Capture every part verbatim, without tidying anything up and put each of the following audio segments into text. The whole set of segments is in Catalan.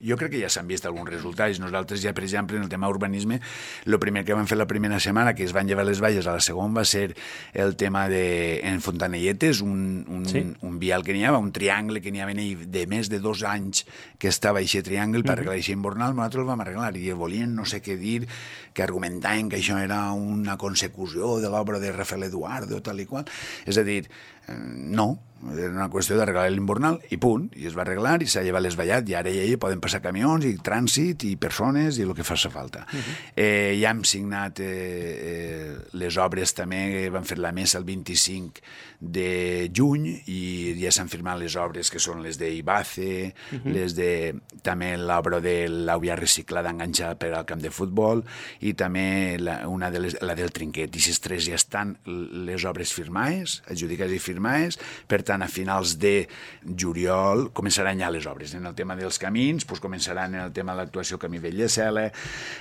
jo crec que ja s'han vist alguns resultats. Nosaltres ja, per exemple, en el tema urbanisme, el primer que vam fer la primera setmana, que es van llevar les valles a la segona, va ser el tema de, en Fontanelletes, un, un, sí. un vial que n'hi havia, un triangle que n'hi havia de més de dos anys que estava aquest triangle per arreglar aquest invernal, nosaltres el vam arreglar i volien no sé què dir, que argumentaven que això era una consecució de l'obra de Rafael Eduardo, tal i qual. És a dir, no, era una qüestió d'arreglar l'invernal i punt, i es va arreglar i s'ha llevat l'esvallat i ara ja hi poden passar camions i trànsit i persones i el que faci falta. Uh -huh. eh, ja hem signat eh, eh, les obres també, van fer la mesa el vint-i-cinc de juny i ja s'han firmat les obres que són les d'Ibace, uh -huh. les de també l'obra de l'àvia reciclada enganxada per al camp de futbol i també la, una de les, la del Trinquet, i aquestes tres ja estan les obres firmades, adjudicades i firmades, per tant, a finals de juliol començaran ja les obres. En el tema dels camins, doncs començaran en el tema de l'actuació Camí Vell de Cela,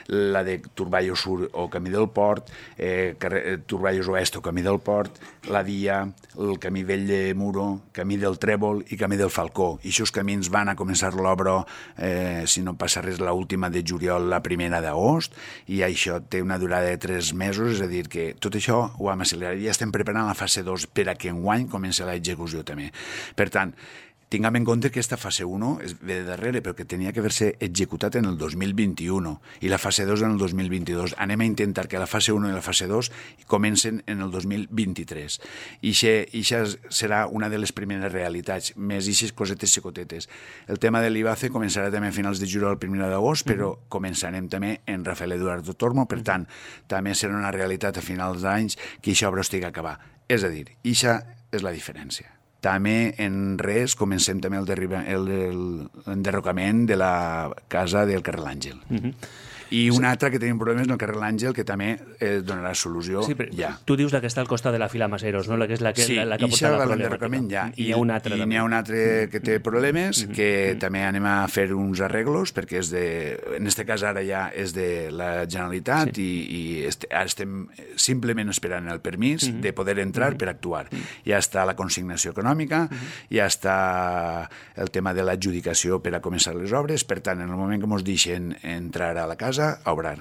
la de Turballos Sur o Camí del Port, eh, Turballos Oest o Camí del Port, la Via, el Camí Vell de Muro, Camí del Trèvol i Camí del Falcó. I aquests camins van a començar l'obra, eh, si no passa res, l'última de juliol, la primera d'agost, i això té una durada de tres mesos, és a dir, que tot això ho hem accelerat. Ja estem preparant la fase dos per a que enguany comenci l'execució també. Per tant, tinguem en compte que aquesta fase u és ve de darrere, però que tenia que haver-se executat en el dos mil vint-i-u i la fase dos en el dos mil vint-i-dos. Anem a intentar que la fase u i la fase dos comencen en el dos mil vint-i-tres. I això serà una de les primeres realitats, més aquestes cosetes xicotetes. El tema de l'Ibace començarà també a finals de juliol, primer d'agost, però començarem també en Rafael Eduardo Tormo, per tant, també serà una realitat a finals d'anys que aquesta obra estigui acabada. És a dir, aquesta és la diferència. També en res comencem també l'enderrocament de la casa del carrer L'Àngel. Uh-huh. I una sí. altra que tenim problemes en el carrer L'Àngel, que també eh, donarà solució sí, ja. Tu dius la que està al costat de la fila Maseros, no? La que és la que, sí, la, la que porta la problemàtica. Ja. I, I n'hi ha un altre. I n'hi ha un altre que té problemes, mm -hmm. que mm -hmm. també anem a fer uns arreglos, perquè és de, en aquest cas ara ja és de la Generalitat sí. i, i est, ara estem simplement esperant el permís mm -hmm. de poder entrar mm -hmm. per actuar. Mm -hmm. Ja està la consignació econòmica, mm -hmm. ja està el tema de l'adjudicació per a començar les obres, per tant, en el moment que ens deixen entrar a la casa, a obrar.